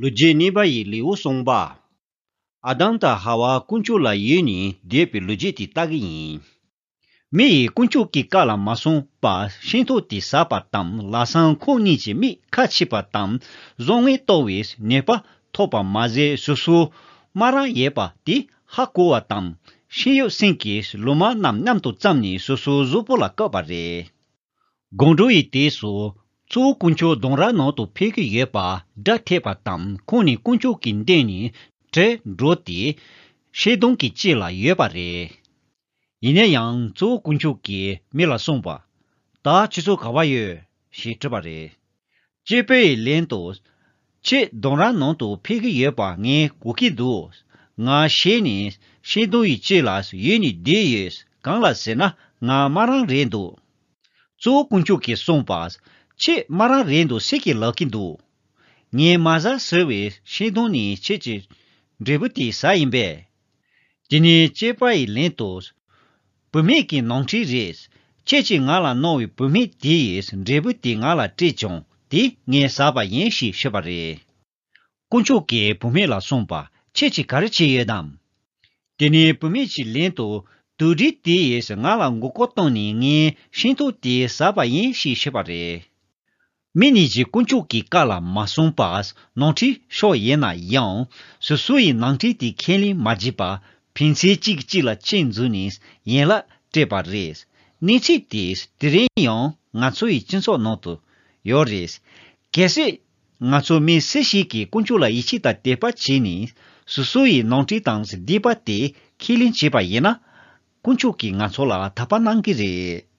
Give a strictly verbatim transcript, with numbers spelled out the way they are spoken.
ལོ་རྒྱུས་གནས་པ་ཡི་ལེའུ་གསུངས་པ། ཨ་དམ་དང་ཧ་ཝ་དཀོན་མཆོག་ལ་ཡིད་ནས་འདས་པའི་ལོ་རྒྱུས་དེ་ལྟ་གི་ཡིན། མི་ཡིས་དཀོན་མཆོག་གི་བཀའ་ལ་མ་སྲུང་བར་ཤིང་ཏོག་དེ་ཟ་པ་དང་། ལམ་སང་ཁོང་གཉིས་ཀྱི་མིག་ཁ་ཕྱེས་པ་དང་། བཟང་ངན་ལྟ་བུའི་ནུས་པ་ཐོབ་པ་མ་ཟད། སོ་སོ་དམར་རང་ཡོད་པ་དེ་ཧ་གོ་བ་དང་། ཤེས་ཡོན་སེང་གེས་ལོ་མ་རྣམས་མཉམ་དུ་བརྩམས་ནས་སོ་སོའི་གཟུགས་པོ་ལ་བཀོད་པ་རེད། སྒང་དྲུག་ཡི་དུས་སུ། གཙོ་བོ་དཀོན་མཆོག་ལྡུམ་ར་ནང་དུ་ཕེབས་ཀྱི་ཡོད་པ་སྒྲ་ཐོས་པ་དང་། ཁོང་ནི་དཀོན་མཆོག་གི་མདུན་ནས་བྲོས་འགྲོ་སྟེ། ཤིང་སྡོང་གི་དཀྱིལ་ལ་ཡོད་པ་རེད། ཡིན་ན་ཡང་གཙོ་བོ་དཀོན་མཆོག་གིས་མི་ལ་གསུངས་པ། ད་ཁྱེད་ཚོ་ག་པར་ཡོད་ཞེས་དྲིས་པ་རེད། སྐྱེས་པ་ཡི་ལན་དུ། ཁྱེད་ལྡུམ་ར་ནང་དུ་ཕེབས་ཀྱི་ཡོད་པ་ངས་གོ་གི་འདུག་ང་ཞེད་ནས་ཤིང་སྡོང་ཡི་དཀྱིལ་ལ་ཡོད་ནས་བསྡད་ཡོད། གང་ལ་ཟེར་ན་ང་དམར་རང་རེད་འདུག་གཙོ་བོ་དཀོན་མཆོག་གིས་གསུངས་པ། ཁྱེད་དམར་རང་རེད་འདུག་ཟེར་གྱི་ལབ་ཀྱི་འདུག་ངས་མ་ཟ་ཟེར་བའི་ཤིང་སྡོང་ནི་ཁྱེད་ཀྱི་འབྲས་བུ་དེ་ཟ་ཡིན་པས། དེ་ནས་སྐྱེས་པ་ཡི་ལན་དུ། བུད་མེད་ཀྱི་ནོར་འཁྲུལ་རེད། ཁྱེད་ཀྱིས་ང་ལ་གནང་བའི་བུད་མེད་དེ་ཡི་འབྲས་བུ་དེ་ང་ལ་སྤྲད་བྱུང་། དེ་ངས་ཟ་བ་ཡིན་ཞེས་ཤོད་པ་རེད། དཀོན་མཆོག་གིས་བུད་མེད་ལ་གསུངས་པ། ཁྱེད་ཀྱིས་ག་རེ་བྱས་ཡོད་དམ། དེ་ནས་བུད་མེད་ཀྱི་ལན་དུ། དུག་སྦྲུལ་དེ་ཡིས་ང་ལ་མགོ་སྐོར་བཏང་ནས་ངས་ཤིང་ཏོག་དེ་ཟ་བ་ཡིན་ཞེས་ཤོད་པ་རེད། མི་གཉིས་ཀྱིས་དཀོན་མཆོག་གི་བཀའ་ལ་མ་སྲུང་བར་ནོར་འཁྲུལ་ཤོར་ཡོད་ན་ཡང་། སོ་སོ་ཡི་ནོར་འཁྲུལ་དེ་ཁས་ལེན་མ་བྱས་པར་ཕན་ཚུན་གཅིག་གིས་གཅིག་ལ་ཆེད་འཛུགས་ནས་ཡན་ལག་སྤྲད་པ་རེད། གནས་ཚུལ་དེས་དེ་རིང་ཡང་ང་ཚོ་ཡི་སྤྱི་ཚོགས་ནང་དུ་ཡོད་རེད། གལ་སྲིད་ང་ཚོ་མི་སུ་ཞིག་གིས་དཀོན་མཆོག་ལ་ཡིད་ཆེས་དང་དད་པ་བྱས་ནས་སོ་སོ་ཡི་ནོར་འཁྲུལ་དང་སྡིག་པ་དེ་ཁས་ལེན་བྱས་པ་ཡིན་ན། དཀོན་མཆོག་གིས་ང་ཚོ་ལ་དད་པ་གནང་གི་རེད།